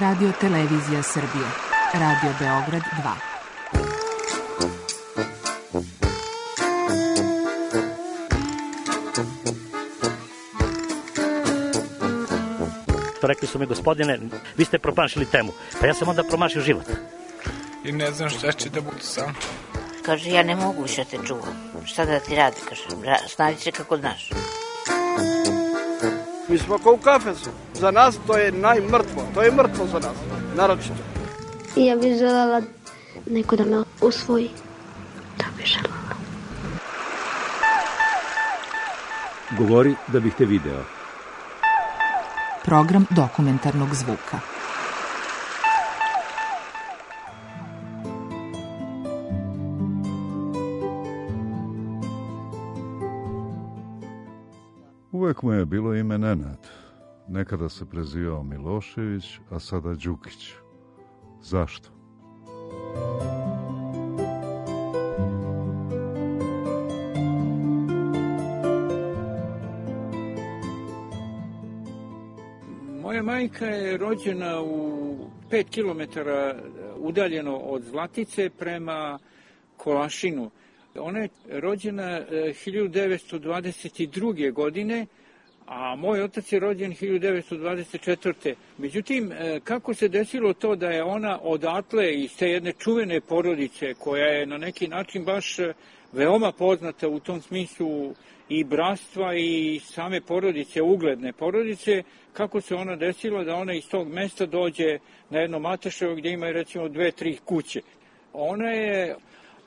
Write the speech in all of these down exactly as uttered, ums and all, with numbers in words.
Radio Televizija Srbije. Radio Beograd dva. Rekli su mi, gospodine, vi ste promašili temu. Pa ja sam onda promašio život. I ne znam šta će da budu sam. Kaže, ja ne mogu više te čuvam. Šta da ti radi, kaže, snađi se kako znaš. Mi smo kao u kafesu. Za nas to je najmrtvo. To je mrtvo za nas, naročito. I ja bih želela neko da me usvoji. Da bih želela. Govori da bih te video. Program dokumentarnog zvuka. Uvek mu je bilo ime Nenad. Nekada se prezivao Milošević, a sada Đukić. Zašto? Moja majka je rođena u pet kilometara udaljeno od Zlatice prema Kolašinu. Ona je rođena hiljadu devetsto dvadeset druge. godine, a moj otac je rođen hiljadu devetsto dvadeset četvrte. Međutim, kako se desilo to da je ona odatle iz te jedne čuvene porodice, koja je na neki način baš veoma poznata u tom smislu i bratstva i same porodice, ugledne porodice, kako se ona desila da ona iz tog mesta dođe na jedno Mateševo gdje ima recimo dve, tri kuće. Ona je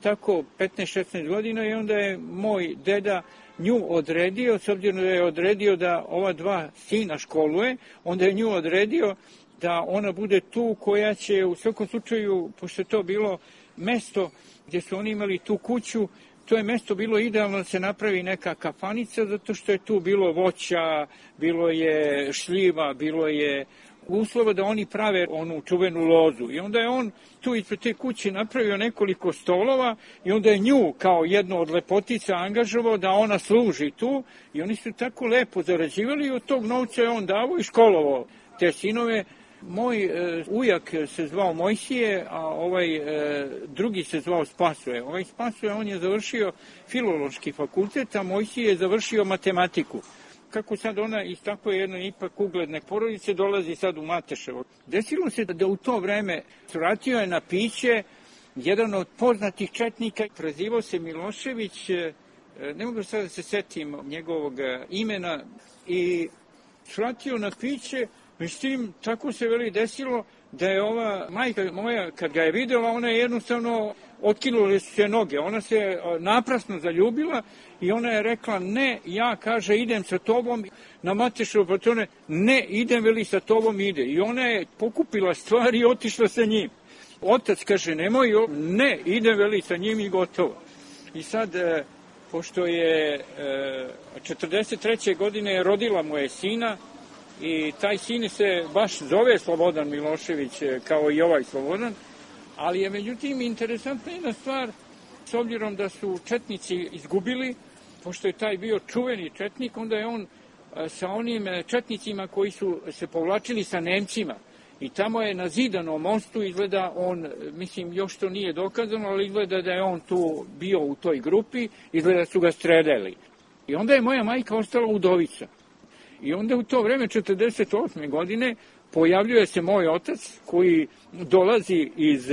tako petnaest šesnaest godina i onda je moj deda nju odredio, s obzirom da je odredio da ova dva sina školuje, onda je nju odredio da ona bude tu koja će u svakom slučaju, pošto je to bilo mesto gdje su oni imali tu kuću, to je mesto bilo idealno da se napravi neka kafanica, zato što je tu bilo voća, bilo je šljiva, bilo je uslova da oni prave onu čuvenu lozu. I onda je on tu ispred te kuće napravio nekoliko stolova i onda je nju kao jednu od lepotica angažovao da ona služi tu i oni su tako lepo zarađivali i od tog novca je on davao i školovao te sinove. Moj e, ujak se zvao Mojsije, a ovaj e, drugi se zvao Spasoje. Ovaj Spasoje, on je završio filološki fakultet, a Mojsije je završio matematiku. Kako sad ona iz takve jedne ipak ugledne porodice dolazi sad u Mateševo. Desilo se da u to vreme vratio je na piće jedan od poznatih četnika, prezivao se Milošević, ne mogu sad da se setim njegovog imena, i vratio na piće. Međutim, tako se veli desilo da je ova majka moja, kad ga je videla, ona je jednostavno otkinule su se noge. Ona se naprasno zaljubila i ona je rekla, ne, ja, kaže, idem sa tobom na Mateševo patrone, ne, idem, veli, sa tobom ide. I ona je pokupila stvari i otišla sa njim. Otac kaže, nemoj, ne, idem, veli, sa njim i gotovo. I sad, pošto je četrdeset treće. godine rodila mu je sina, i taj sin se baš zove Slobodan Milošević, kao i ovaj Slobodan, ali je međutim interesantna jedna stvar, s obzirom da su četnici izgubili, pošto je taj bio čuveni četnik, onda je on sa onim četnicima koji su se povlačili sa Nemcima i tamo je na Zidanom mostu, izgleda on, mislim još to nije dokazano, ali izgleda da je on tu bio u toj grupi, izgleda su ga streljali. I onda je moja majka ostala udovica. I onda u to vreme, četrdeset osme. godine, pojavljuje se moj otac koji dolazi iz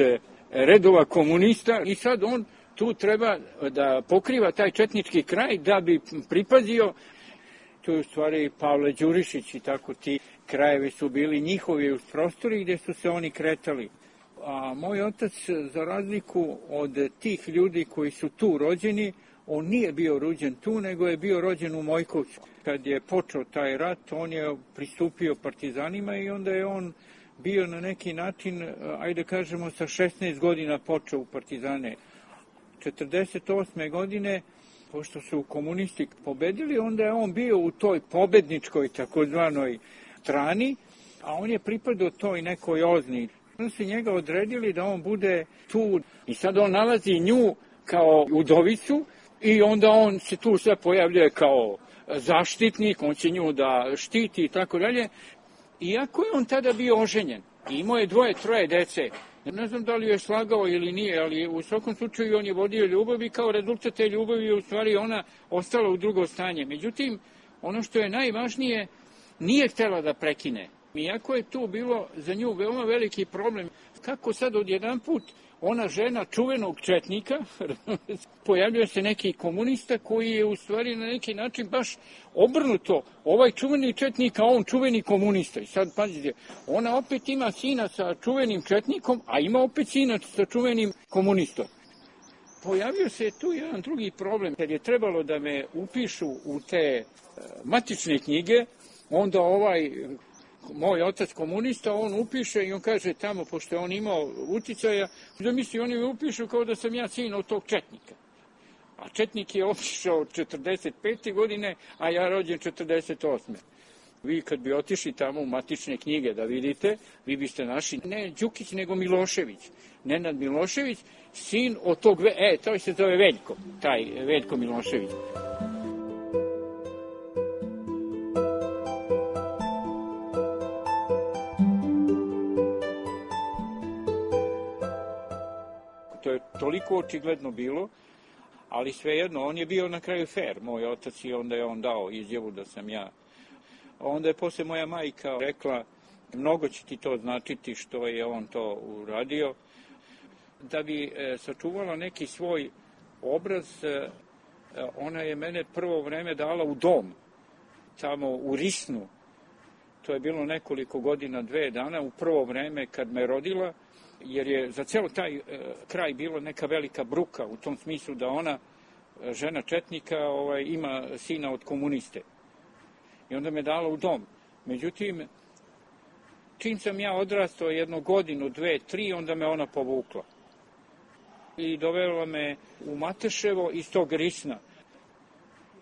redova komunista i sad on tu treba da pokriva taj četnički kraj da bi pripazio. Tu je u stvari Pavle Đurišić i tako ti krajevi su bili njihovi uz prostori gdje su se oni kretali. A moj otac, za razliku od tih ljudi koji su tu rođeni, on nije bio rođen tu, nego je bio rođen u Mojkovcu. Kad je počeo taj rat, on je pristupio partizanima i onda je on bio na neki način, ajde kažemo, sa šesnaest godina počeo u partizane. četrdeset osme. godine, pošto su komunisti pobedili, onda je on bio u toj pobedničkoj takozvanoj strani, a on je pripadao toj nekoj ozni. Onda su njega odredili da on bude tu i sad on nalazi nju kao udovicu i onda on se tu sve pojavljuje kao zaštitnik, on će nju da štiti i tako dalje. Iako je on tada bio oženjen, I imao je dvoje, troje dece. Ne znam da li je slagao ili nije, ali u svakom slučaju on je vodio ljubav i kao rezultat te ljubavi je u stvari ona ostala u drugo stanje. Međutim, ono što je najvažnije, nije htjela da prekine. Iako je tu bilo za nju veoma veliki problem, kako sad odjedan put ona žena čuvenog četnika, pojavljuje se neki komunista koji je u stvari na neki način baš obrnuto. Ovaj čuveni četnik, a on čuveni komunista. I sad, pazite, ona opet ima sina sa čuvenim četnikom, a ima opet sina sa čuvenim komunistom. Pojavio se tu jedan drugi problem. Kad je trebalo da me upišu u te matične knjige, onda ovaj moj otac komunista, on upiše i on kaže tamo, pošto je on imao uticaja, da misli, oni me upišu kao da sam ja sin od tog četnika. A četnik je otišao četrdeset pete godine, a ja rođen četrdeset osme Vi kad bi otišli tamo u matične knjige da vidite, vi biste našli ne Đukić, nego Milošević. Nenad Milošević, sin od tog, e, to se zove Veljko, taj Veljko Milošević. To je toliko očigledno bilo, ali svejedno, on je bio na kraju fair, moj otac, i onda je on dao izjavu da sam ja. Onda je posle moja majka rekla, mnogo će ti to značiti što je on to uradio. Da bi e, sačuvala neki svoj obraz, e, ona je mene prvo vreme dala u dom, tamo u Risnu. To je bilo nekoliko godina, dve dana, u prvo vreme kad me rodila, jer je za ceo taj e, kraj bilo neka velika bruka, u tom smislu da ona, žena četnika, ovaj, ima sina od komuniste. I onda me dala u dom. Međutim, čim sam ja odrastao jednu godinu, dve, tri, onda me ona povukla. I dovela me u Mateševo iz tog Risna.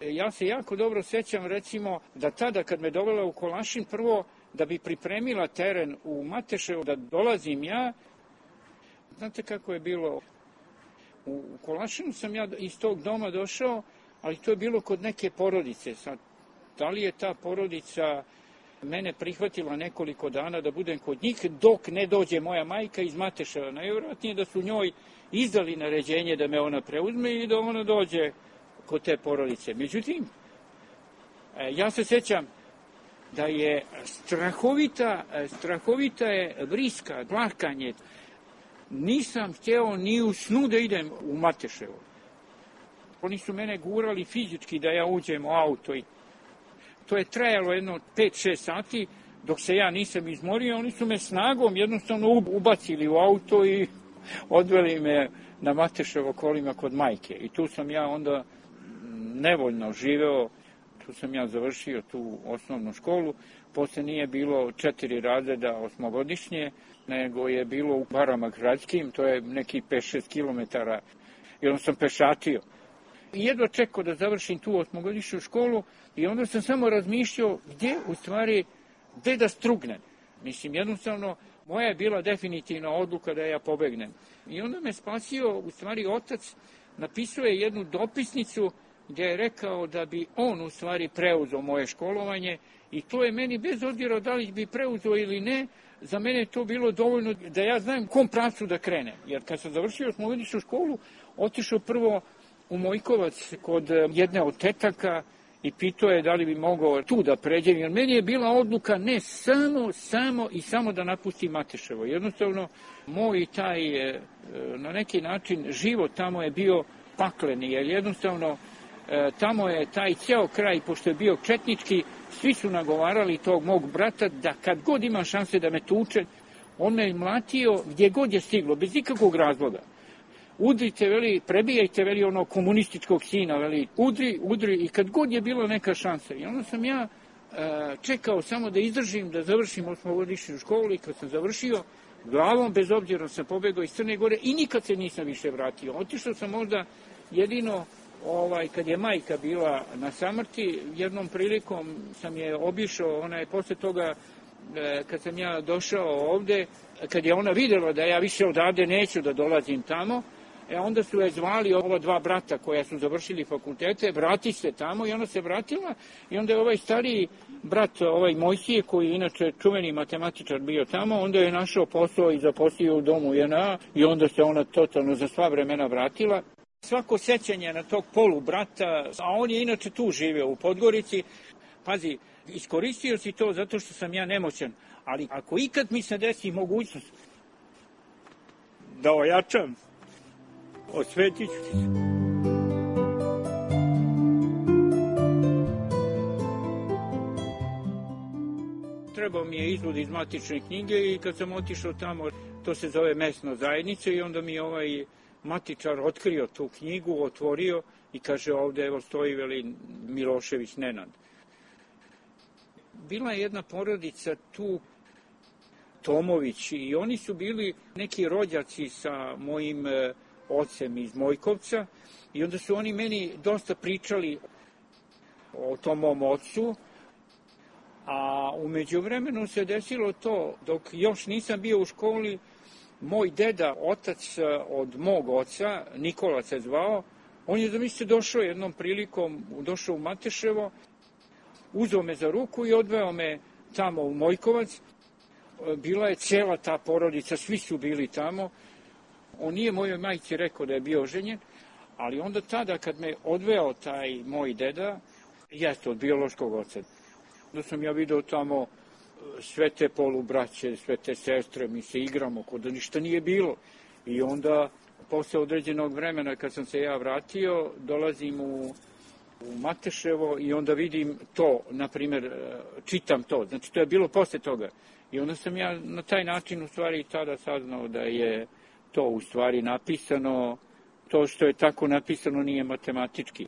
Ja se jako dobro sećam, recimo, da tada kad me dovela u Kolašin, prvo da bi pripremila teren u Mateševo, da dolazim ja, znate kako je bilo? U Kolašinu sam ja iz tog doma došao, ali to je bilo kod neke porodice. Sad, da li je ta porodica mene prihvatila nekoliko dana da budem kod njih, dok ne dođe moja majka iz Mateševa. Najvjerojatnije da su njoj izdali naređenje da me ona preuzme i da ona dođe kod te porodice. Međutim, ja se sećam da je strahovita, strahovita je vriska, plakanje. Nisam htjeo ni u snu da idem u Mateševo. Oni su mene gurali fizički da ja uđem u auto. I to je trajalo jedno pet šest sati, dok se ja nisam izmorio. Oni su me snagom jednostavno ubacili u auto i odveli me na Mateševo kolima kod majke. I tu sam ja onda nevoljno živeo. Tu sam ja završio tu osnovnu školu. Posle nije bilo četiri razreda osmogodišnje, nego je bilo u Barama gradskim, to je neki pet šest kilometara. I onda sam pešatio. I jedva čekao da završim tu osmogodišnju školu i onda sam samo razmišljao gdje u stvari, gdje da strugnem. Mislim, jednostavno, moja je bila definitivna odluka da ja pobegnem. I onda me spasio, u stvari, otac napisao je jednu dopisnicu gdje je rekao da bi on u stvari preuzeo moje školovanje i to je meni, bez obzira da li bi preuzeo ili ne, za mene je to bilo dovoljno da ja znam kom pravcu da krenem. Jer kad sam završio osmogodišnju školu, otišao prvo u Mojkovac kod jedne od tetaka i pitao je da li bi mogao tu da pređem, jer meni je bila odluka ne samo, samo i samo da napustim Mateševo. Jednostavno, moj taj, na neki način, život tamo je bio pakleni, jer jednostavno tamo je taj ceo kraj, pošto je bio četnički, svi su nagovarali tog mog brata da kad god ima šanse da me tuče, on me mlatio gdje god je stiglo, bez ikakvog razloga. Udrite, veli, prebijajte, veli, ono komunističkog sina, veli, udri, udri, i kad god je bila neka šansa. I onda sam ja e, čekao samo da izdržim, da završim osmogodišnju školu i kad sam završio, glavom, bez obzira sam pobegao iz Crne Gore i nikad se nisam više vratio. Otišao sam možda jedino, ovaj, kad je majka bila na samrti, jednom prilikom sam je obišao, ona je posle toga, e, kad sam ja došao ovde, kad je ona vidjela da ja više odavde neću da dolazim tamo, E onda su je zvali ova dva brata koja su završili fakultete, vrati se tamo i ona se vratila i onda je ovaj stariji brat, ovaj Mojsije, koji je inače čuveni matematičar bio tamo, onda je našao posao i zaposlio u domu J N A i onda se ona totalno za sva vremena vratila. Svako sećanje na tog polu brata, a on je inače tu živeo u Podgorici, pazi, iskoristio si to zato što sam ja nemoćan, ali ako ikad mi se desi mogućnost da ojačam, osvetit ću se. Trebao mi je izvod iz matične knjige i kad sam otišao tamo, to se zove mesna zajednica i onda mi je ovaj matičar otkrio tu knjigu, otvorio i kaže ovde evo stoji veli Milošević Nenad. Bila je jedna porodica tu, Tomović, i oni su bili neki rođaci sa mojim ocem iz Mojkovca i onda su oni meni dosta pričali o tom mom ocu, a u međuvremenu se desilo to, dok još nisam bio u školi, moj deda, otac od mog oca, Nikola se zvao, on je zamislite došao jednom prilikom, došao u Mateševo, uzeo me za ruku i odveo me tamo u Mojkovac. Bila je cela ta porodica, svi su bili tamo. On nije mojoj majci rekao da je bio oženjen, ali onda tada kad me odveo taj moj deda, jeste od biološkog oca, onda sam ja video tamo sve te polubraće, sve te sestre, mi se igramo kod da ništa nije bilo. I onda, posle određenog vremena, kad sam se ja vratio, dolazim u, u Mateševo i onda vidim to, na primjer, čitam to. Znači, to je bilo posle toga. I onda sam ja na taj način u stvari tada saznao da je to u stvari napisano, to što je tako napisano nije matematički.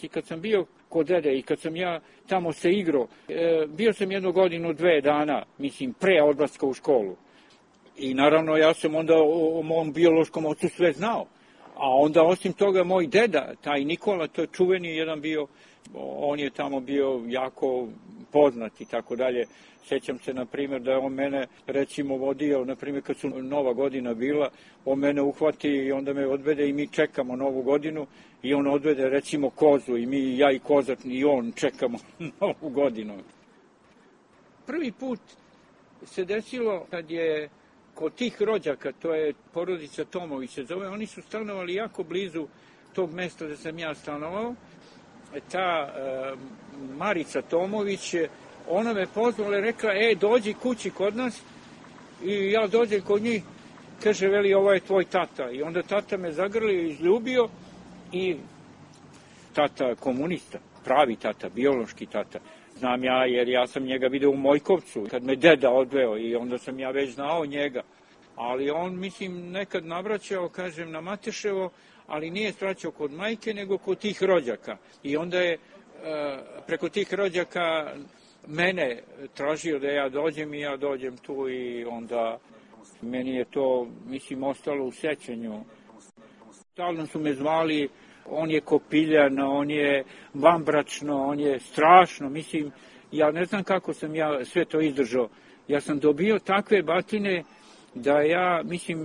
I kad sam bio kod dede i kad sam ja tamo se igrao, e, bio sam jednu godinu, dve dana, mislim, pre odlaska u školu. I naravno ja sam onda o, o mom biološkom ocu sve znao. A onda osim toga moj deda, taj Nikola, to je čuveni jedan bio, on je tamo bio jako poznat i tako dalje. Sećam se, na primjer, da je on mene, recimo, vodio, na primjer, kad su Nova godina bila, on mene uhvati i onda me odvede i mi čekamo Novu godinu i on odvede, recimo, kozu i mi, ja i kozat, i on čekamo Novu godinu. Prvi put se desilo kad je kod tih rođaka, to je porodica Tomović se zove, oni su stanovali jako blizu tog mesta da sam ja stanovao. Ta e, Marica Tomović, ona me pozvala i rekla, e, dođi kući kod nas, i ja dođem kod njih, kaže, veli, ovo je tvoj tata. I onda tata me zagrlio i izljubio i tata komunista, pravi tata, biološki tata. Znam ja, jer ja sam njega video u Mojkovcu, kad me deda odveo i onda sam ja već znao njega. Ali on, mislim, nekad navraćao, kažem, na Mateševo, ali nije svraćao kod majke, nego kod tih rođaka. I onda je preko tih rođaka mene tražio da ja dođem i ja dođem tu i onda meni je to, mislim, ostalo u sećanju. Stalno su me zvali, on je kopiljan, on je vanbračno, on je strašno, mislim, ja ne znam kako sam ja sve to izdržao. Ja sam dobio takve batine da ja, mislim,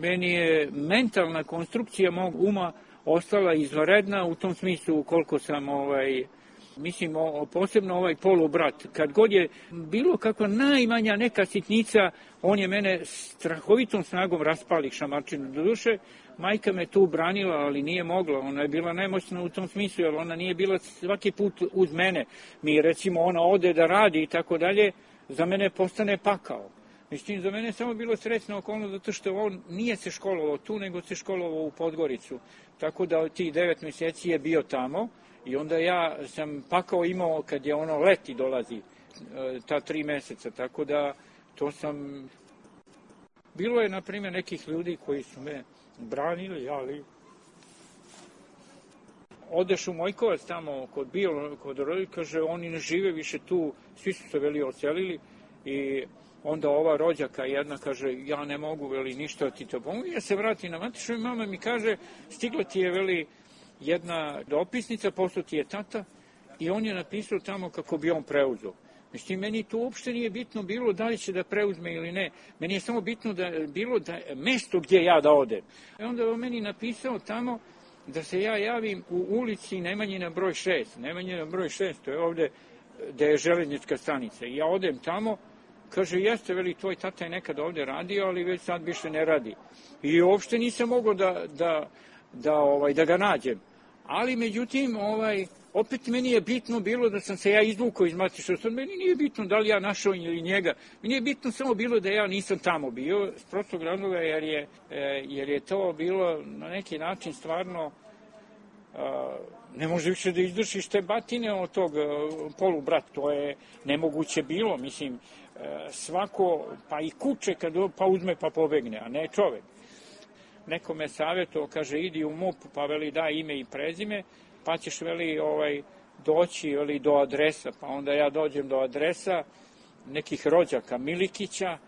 meni je mentalna konstrukcija mog uma ostala izvanredna u tom smislu koliko sam, ovaj, mislim, o, posebno ovaj polubrat. Kad god je bilo kakva najmanja neka sitnica, on je mene strahovitom snagom raspali šamarčinu. Do duše, majka me tu branila, ali nije mogla. Ona je bila nemoćna u tom smislu, jer ona nije bila svaki put uz mene. Mi, recimo, ona ode da radi i tako dalje, za mene postane pakao. Mislim, za mene je samo bilo srećna okolnost zato što on nije se školovao tu, nego se školovao u Podgoricu. Tako da tih devet mjeseci je bio tamo i onda ja sam pakao imao kad je ono leti dolazi, ta tri meseca. Tako da to sam... Bilo je, na primjer, nekih ljudi koji su me branili, ali... Odeš u Mojkovac tamo kod bio, kod roditelja, kaže, oni ne žive više tu, svi su se veli ocelili i... Onda ova rođaka jedna kaže, ja ne mogu, veli, ništa ti to pomoći. Ja se vratim na Matišu i mama mi kaže, stigla ti je, veli, jedna dopisnica, posle ti je tata i on je napisao tamo kako bi on preuzeo. Znači, meni to uopšte nije bitno bilo da li će da preuzme ili ne. Meni je samo bitno da bilo da mesto gdje ja da odem. I onda je on meni napisao tamo da se ja javim u ulici Nemanjina broj šest. Nemanjina broj šest, to je ovde gde je železnička stanica. I ja odem tamo, kaže, jeste, veli, tvoj tata je nekad ovde radio, ali već sad više ne radi. I uopšte nisam mogao da, da, da, ovaj, da ga nađem. Ali, međutim, ovaj, opet meni je bitno bilo da sam se ja izvukao iz matičnog suda. Meni nije bitno da li ja našao ili njega. Meni je bitno samo bilo da ja nisam tamo bio, s prostog razloga, jer je, jer je to bilo na neki način stvarno ne može više da izdržiš te batine od tog polubrata. To je nemoguće bilo, mislim, svako, pa i kuće kad pa uzme pa pobegne, a ne čovek. Neko me savjetovao, kaže, idi u M U P, pa veli daj ime i prezime, pa ćeš veli ovaj, doći veli, do adresa, pa onda ja dođem do adresa nekih rođaka Milikića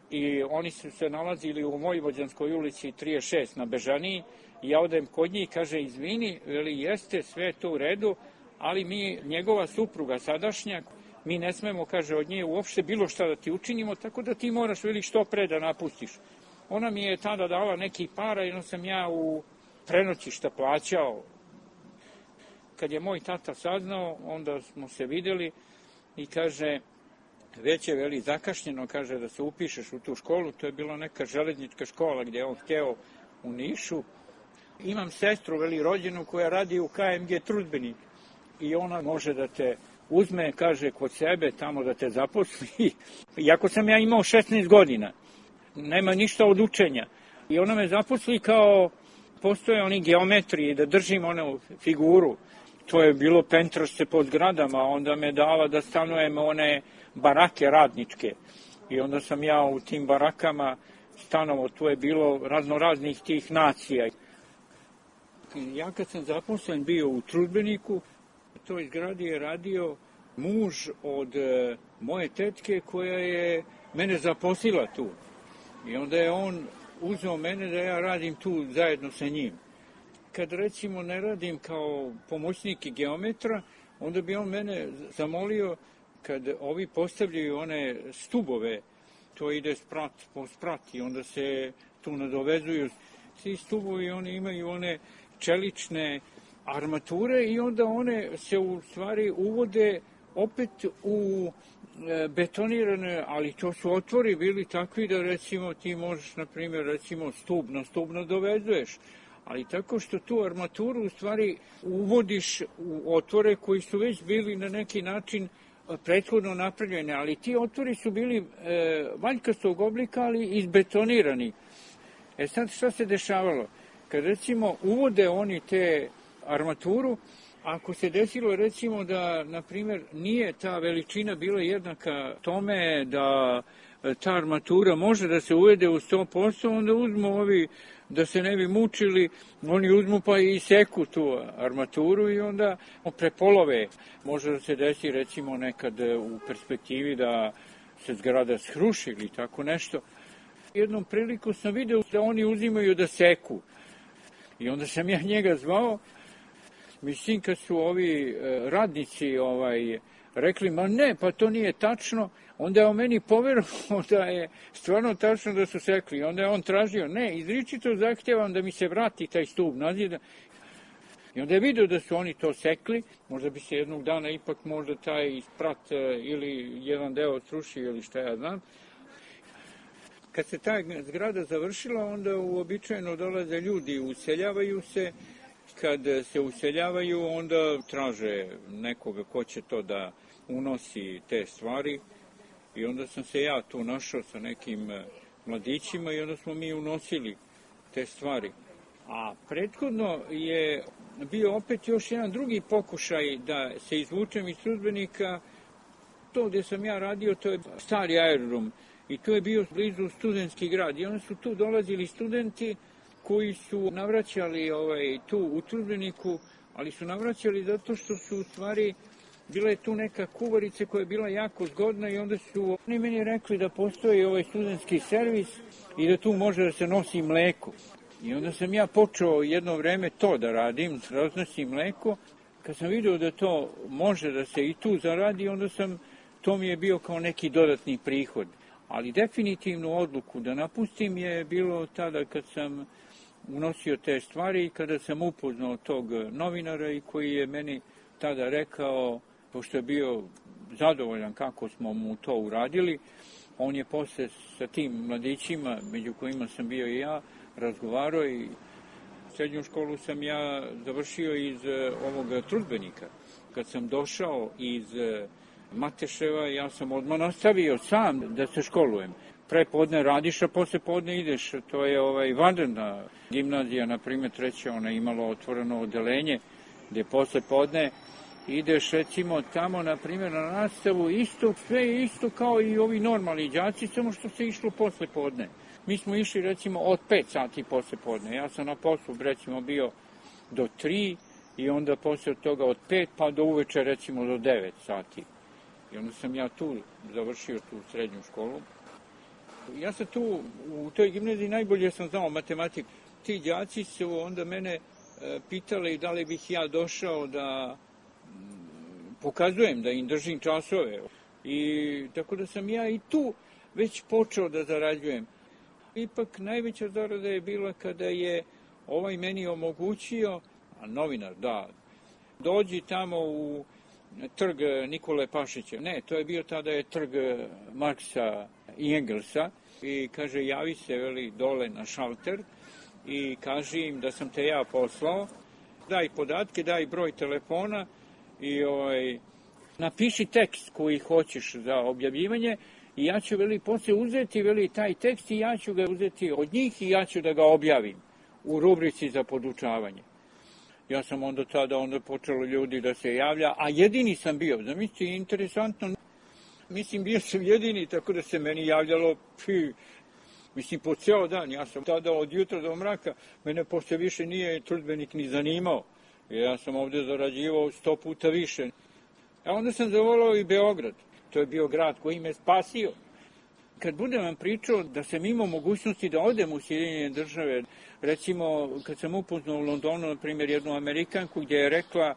i oni su se nalazili u Vojvođanskoj ulici trideset šest na Bežaniji i ja odem kod njih, kaže, izvini, veli, jeste, sve je to u redu, ali mi, njegova supruga sadašnja, mi ne smemo, kaže, od nje uopšte bilo šta da ti učinimo, tako da ti moraš, veli, što pre da napustiš. Ona mi je tada dala neki para i onda sam ja u prenoćišta plaćao. Kad je moj tata saznao, onda smo se videli i kaže, već je, veli, zakašnjeno, kaže, da se upišeš u tu školu. To je bila neka železnička škola gdje je on hteo u Nišu. Imam sestru, veli, rođenu koja radi u K M G Trudbenik i ona može da te uzme, kaže, kod sebe, tamo da te zaposli. Iako sam ja imao šesnaest godina, nema ništa od učenja. I ona me zaposli kao, postoje oni geometriji, da držim onu figuru. To je bilo pentrašce po zgradama, onda me dala da stanujem one barake radničke. I onda sam ja u tim barakama stanovo, tu je bilo raznoraznih tih nacija. Ja kad sam zaposlen bio u Trudbeniku, u toj zgradi je radio muž od moje tetke koja je mene zaposlila tu. I onda je on uzeo mene da ja radim tu zajedno sa njim. Kad recimo ne radim kao pomoćnik i geometra, onda bi on mene zamolio kad ovi postavljaju one stubove, to ide sprat po sprat i onda se tu nadovezuju. Svi stubovi, oni imaju one čelične armature i onda one se u stvari uvode opet u betonirane, ali to su otvori bili takvi da recimo ti možeš, na primjer, recimo stub na stub nadovezuješ, ali tako što tu armaturu u stvari uvodiš u otvore koji su već bili na neki način prethodno napravljene, ali ti otvori su bili e, valjkastog oblika, ali izbetonirani. E sad šta se dešavalo? Kad recimo uvode oni te armaturu, ako se desilo recimo da, na primjer, nije ta veličina bila jednaka tome da ta armatura može da se uvede u sto posto, onda uzmu ovi, da se ne bi mučili, oni uzmu pa i seku tu armaturu i onda prepolove. Može da se desi recimo nekad u perspektivi da se zgrada sruši ili tako nešto. Jednom priliku sam video da oni uzimaju da seku i onda sam ja njega zvao. Mislim, kad su ovi radnici ovaj, rekli, ma ne, pa to nije tačno, onda je on meni poverovao da je stvarno tačno da su sekli. Onda je on tražio, ne, izričito zahtjevam da mi se vrati taj stub nazad. I onda je vidio da su oni to sekli, možda bi se jednog dana ipak možda taj sprat ili jedan deo srušio ili šta ja znam. Kad se ta zgrada završila, onda uobičajeno dolaze ljudi, useljavaju se. Kad se useljavaju, onda traže nekoga ko će to da unosi te stvari. I onda sam se ja tu našao sa nekim mladićima i onda smo mi unosili te stvari. A prethodno je bio opet još jedan drugi pokušaj da se izvučem iz Trudbenika. To gdje sam ja radio, to je stari aerodrom i to je bio blizu studentski grad. I onda su tu dolazili studenti koji su navraćali ovaj, tu u Trudbeniku, ali su navraćali zato što su u stvari bila je tu neka kuvarica koja je bila jako zgodna i onda su oni meni rekli da postoji ovaj studentski servis i da tu može da se nosi mleko. I onda sam ja počeo jedno vreme to da radim, raznosim mleko. Kad sam vidio da to može da se i tu zaradi, onda sam to mi je bio kao neki dodatni prihod. Ali definitivnu odluku da napustim je bilo tada kad sam unosio te stvari i kada sam upoznao tog novinara i koji je meni tada rekao, pošto je bio zadovoljan kako smo mu to uradili, on je posle sa tim mladićima, među kojima sam bio i ja, razgovarao i srednju školu sam ja završio iz ovog trudbenika. Kad sam došao iz Mateševa, ja sam odmah nastavio sam da se školujem. Pre podne radiš, a posle podne ideš. To je ovaj vanredna gimnazija, na primjer treća, ona je imala otvoreno odelenje, gde posle podne ideš recimo tamo, na primjer, na nastavu, isto, sve je isto kao i ovi normalni đaci, samo što se išlo posle podne. Mi smo išli recimo od pet sati posle podne. Ja sam na poslu recimo bio do tri i onda posle toga od pet pa do uveče recimo do devet sati. I onda sam ja tu završio tu srednju školu. Ja sam tu u toj gimnaziji najbolje sam znao matematiku. Ti đaci su onda mene pitali da li bih ja došao da pokazujem, da im držim časove. I tako da sam ja i tu već počeo da zarađujem. Ipak najveća zarada je bila kada je ovaj meni omogućio, a novinar, da, dođi tamo u trg Nikole Pašića. Ne, to je bio tada je trg Marksa i Engelsa. I kaže, javi se, veli, dole na šalter i kaži im da sam te ja poslao. Daj podatke, daj broj telefona i ovaj, napiši tekst koji hoćeš za objavljivanje i ja ću, veli, posle uzeti, veli, taj tekst i ja ću ga uzeti od njih i ja ću da ga objavim u rubrici za podučavanje. Ja sam onda tada onda počelo ljudi da se javlja, a jedini sam bio. Zamislite, interesantno, mislim, bio sam jedini, tako da se meni javljalo, pi, mislim, po ceo dan. Ja sam tada od jutra do mraka, mene posle više nije trudbenik ni zanimao. Ja sam ovde zarađivao sto puta više. A onda sam zavolao i Beograd. To je bio grad koji me spasio. Kad budem vam pričao da sam imao mogućnosti da odem u Sjedinjene države, recimo kad sam upoznao u Londonu, na primjer, jednu Amerikanku gdje je rekla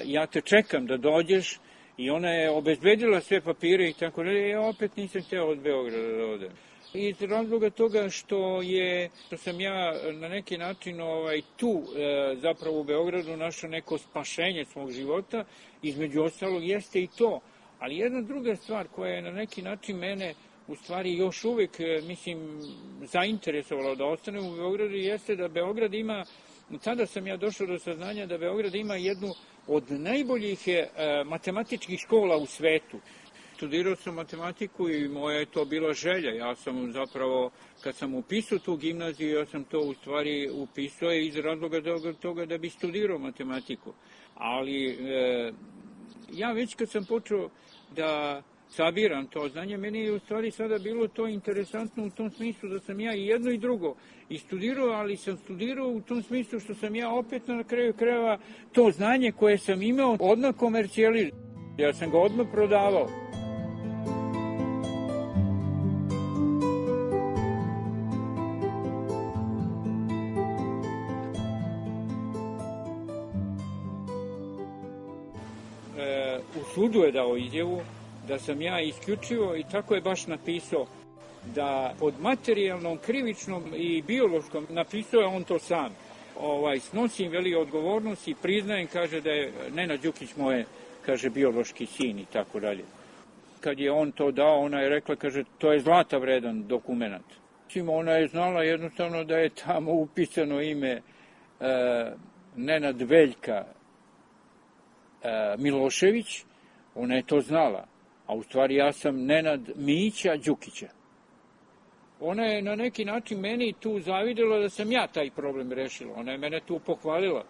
ja te čekam da dođeš i ona je obezbedila sve papire i tako dalje, ja opet nisam htio od Beograda da odem. Iz razloga toga što je, što sam ja na neki način ovaj, tu e, zapravo u Beogradu našao neko spašenje svog života, između ostalog jeste i to. Ali jedna druga stvar koja je na neki način mene u stvari još uvijek, mislim, zainteresovala da ostanem u Beogradu jeste da Beograd ima, tada sam ja došao do saznanja da Beograd ima jednu od najboljih e, matematičkih škola u svetu. Studirao sam matematiku i moja je to bila želja. Ja sam zapravo, kad sam upisao tu gimnaziju, ja sam to u stvari upisao iz razloga toga da bi studirao matematiku. Ali e, ja već kad sam počeo da sabiram to znanje, meni je u stvari sada bilo to interesantno u tom smislu da sam ja i jedno i drugo i studirao, ali sam studirao u tom smislu što sam ja opet na kraju krajeva to znanje koje sam imao odmah komercijalizovao. Ja sam ga odmah prodavao. E, u sudu je dao izjavu da sam ja isključivo, i tako je baš napisao, da pod materijalnom, krivičnom i biološkom, napisao je on to sam, ovaj, snosim veli odgovornost i priznajem, kaže da je Nenad Đukić moje, kaže, biološki sin i tako dalje. Kad je on to dao, ona je rekla, kaže, to je zlata vredan dokument. Ona je znala jednostavno da je tamo upisano ime e, Nenad Veljka e, Milošević, ona je to znala. A u stvari ja sam Nenad Mića Đukića. Ona je na neki način meni tu zavidela da sam ja taj problem rešila. Ona je mene tu pohvalila.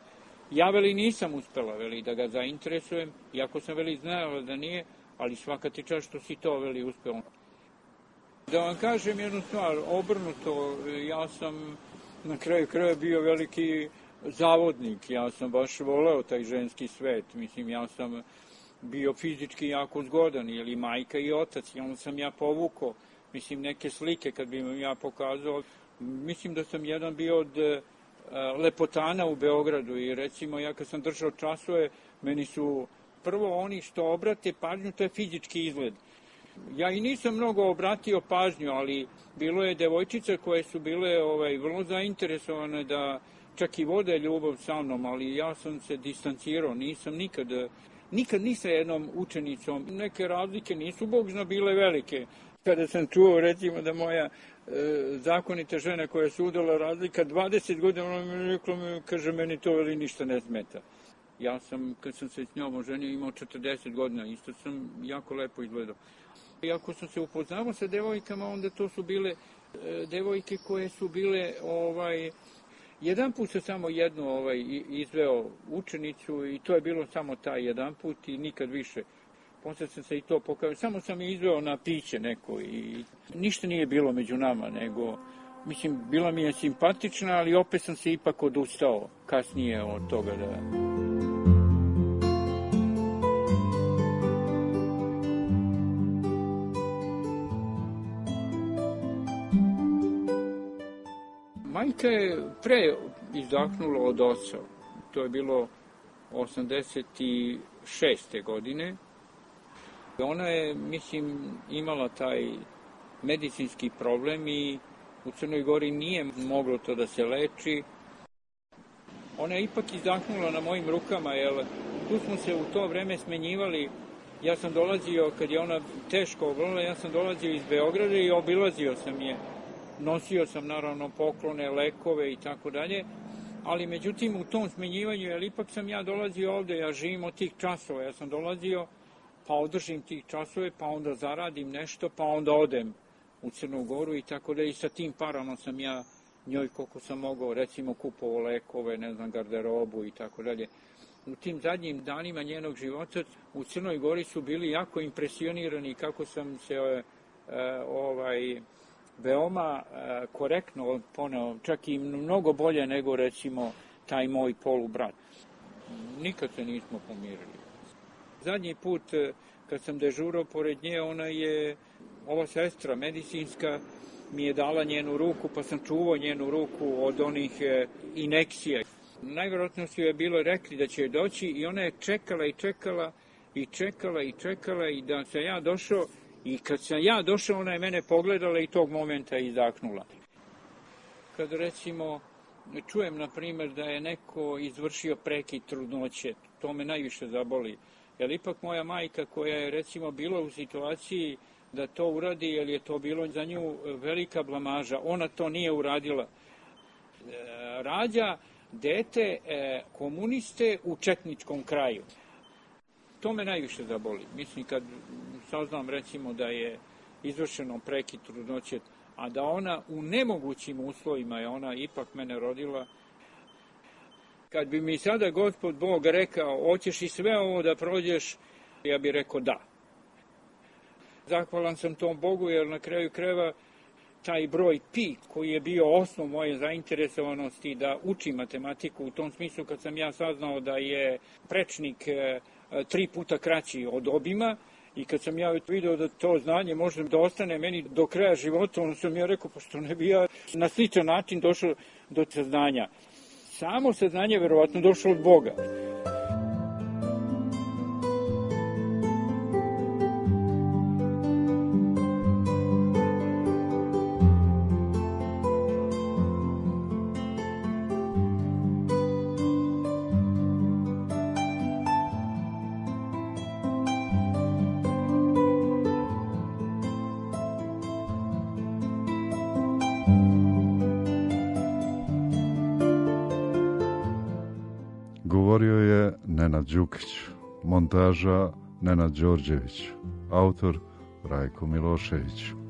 Ja, veli, nisam uspela, veli, da ga zainteresujem, iako sam, veli, znala da nije, ali svaka ti čast što si to, veli, uspeo. Da vam kažem jednu stvar, obrnuto, ja sam na kraju kraja bio veliki zavodnik. Ja sam baš voleo taj ženski svet. Mislim, ja sam bio fizički jako zgodan, ili majka i otac, i onda sam ja povukao, mislim, neke slike kad bi im ja pokazao. Mislim da sam jedan bio od lepotana u Beogradu i recimo ja kad sam držao časove, meni su prvo oni što obrate pažnju, to je fizički izgled. Ja i nisam mnogo obratio pažnju, ali bilo je devojčica koje su bile ovaj, vrlo zainteresovane da čak i vode ljubav sa mnom, ali ja sam se distancirao, nisam nikad, nikad ni sa jednom učenicom. Neke razlike nisu Bog zna bile velike. Kada sam čuo recimo da moja e, zakonita žena koja se udala razlika dvadeset godina, ona mi rekla, kaže, meni to veli ništa ne smeta. Ja sam, kad sam se s njom oženio, imao četrdeset godina, isto sam jako lepo izgledao. I ako sam se upoznao sa devojkama, onda to su bile e, devojke koje su bile, ovaj, jedan put sam samo jednu ovaj, izveo učenicu i to je bilo samo taj jedan put i nikad više. Posle sam se i to pokazao, samo sam je izveo na piće neko i ništa nije bilo među nama, nego, mislim, bila mi je simpatična, ali opet sam se ipak odustao kasnije od toga da... Majka je pre izdahnula od oca. To je bilo osamdeset šeste godine. Ona je, mislim, imala taj medicinski problem i u Crnoj Gori nije moglo to da se leči. Ona je ipak izdahnula na mojim rukama, jer tu smo se u to vreme smenjivali. Ja sam dolazio, kad je ona teško obolila, ja sam dolazio iz Beograda i obilazio sam je. Nosio sam naravno poklone, lekove i tako dalje, ali međutim u tom smenjivanju, jer ipak sam ja dolazio ovde, ja živim od tih časova, ja sam dolazio pa održim tih časove, pa onda zaradim nešto, pa onda odem u Crnu Goru i tako da i sa tim parama sam ja njoj koliko sam mogao, recimo kupovao lekove, ne znam, garderobu i tako dalje. U tim zadnjim danima njenog života u Crnoj Gori su bili jako impresionirani kako sam se e, ovaj... veoma e, korektno poneo, čak i mnogo bolje nego recimo taj moj polubrat. Nikad se nismo pomirili. Zadnji put e, kad sam dežurao pored nje, ona je, ova sestra medicinska, mi je dala njenu ruku, pa sam čuvao njenu ruku od onih e, inekcija. Najvjerojatno su je bilo rekli da će doći i ona je čekala i čekala i čekala i čekala i da sam ja došao. I kad sam ja došao, ona je mene pogledala i tog momenta izdahnula. Kad recimo čujem, na primjer, da je neko izvršio prekid trudnoće, to me najviše zaboli. Jer ipak moja majka koja je recimo bila u situaciji da to uradi, jer je to bilo za nju velika blamaža, ona to nije uradila. Rađa dete komuniste u četničkom kraju. To me najviše zaboli. Mislim, kad saznam recimo da je izvršeno prekid trudnoće, a da ona u nemogućim uslovima je ona ipak mene rodila. Kad bi mi sada Gospod Bog rekao, hoćeš i sve ovo da prođeš, ja bih rekao da. Zahvalan sam tom Bogu, jer na kraju krajeva taj broj pi, koji je bio osnov moje zainteresovanosti da učim matematiku, u tom smislu kad sam ja saznao da je prečnik tri puta kraći od obima i kad sam ja vidio da to znanje može da ostane meni do kraja života, onda sam ja rekao, pa što ne bi ja na sličan način došao do saznanja. Samo saznanje verovatno došlo od Boga. Govorio je Nenad Đukić, montaža Nenad Đorđević, autor Rajko Milošević.